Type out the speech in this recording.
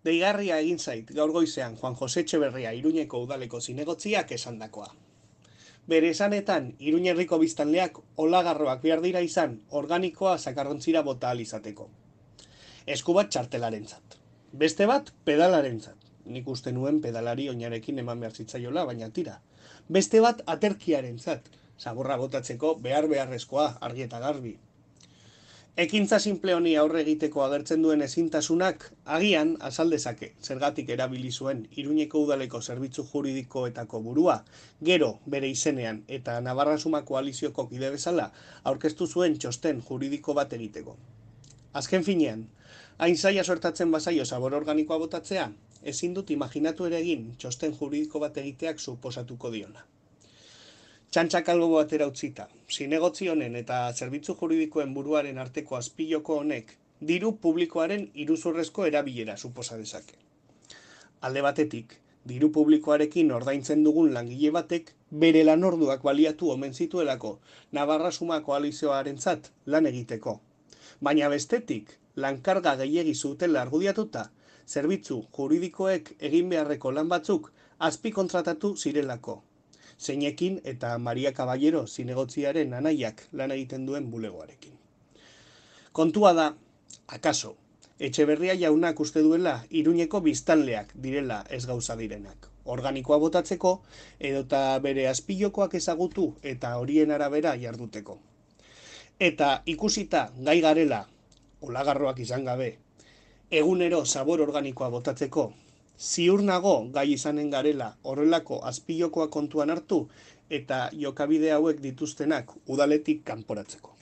Deigarria egin zait gaur goizean Juan Jose Etxeberria Iruñeko udaleko zinegotziak esandakoa. Bere esanetan, Iruña herriko biztanleak olagarroak behar dira izan organikoa zakarrontzira bota ahal izateko. Esku bat txartelarentzat. Beste bat pedalarentzat. Nik uste nuen pedalari oinarekin eman behar zitzaiola, baina tira. Beste bat aterkiarentzat. Zaborra botatzeko beharrezkoa, argi eta garbi. Ekintza simple honi aurre egiteko agertzen duen ezintasunak agian azal dezake, zergatik erabili zuen Iruñeko udaleko zerbitzu juridikoetako burua, gero bere izenean eta Navarra Suma koalizioko kide bezala aurkeztu zuen txosten juridiko bat egiteko. Azken finean, hain zaila sortatzen bazaio zabor organikoa botatzea, ezin dut imaginatu ere egin txosten juridiko bat egiteak suposatuko diona. Txantxak albo batera utzita, zinegotzi honen eta zerbitzu juridikoen buruaren arteko azpiloko honek diru publikoaren iruzurrezko erabilera suposa dezake. Alde batetik, diru publikoarekin ordaintzen dugun langile batek bere lanorduak baliatu omen zituelako Navarra Suma koalizioarentzat lan egiteko. Baina bestetik, lankarga gehiegi zutela argudiatuta, zerbitzu juridikoek egin beharreko lan batzuk azpikontratatu zirelako. Zeinekin eta Maria Caballero zinegotziaren anaiak lan egiten duen bulegoarekin. Kontua da, akaso, Etxeberria jaunak uste duela Iruñeko biztanleak direla ez gauza direnak. Organikoa botatzeko edota bere azpilokoak ezagutu eta horien arabera jarduteko. Eta ikusita gai garela, olagarroak izan gabe, egunero zabor organikoa botatzeko, ziur nago gai izanen garela horrelako azpilokoa kontuan hartu eta jokabide hauek dituztenak udaletik kanporatzeko.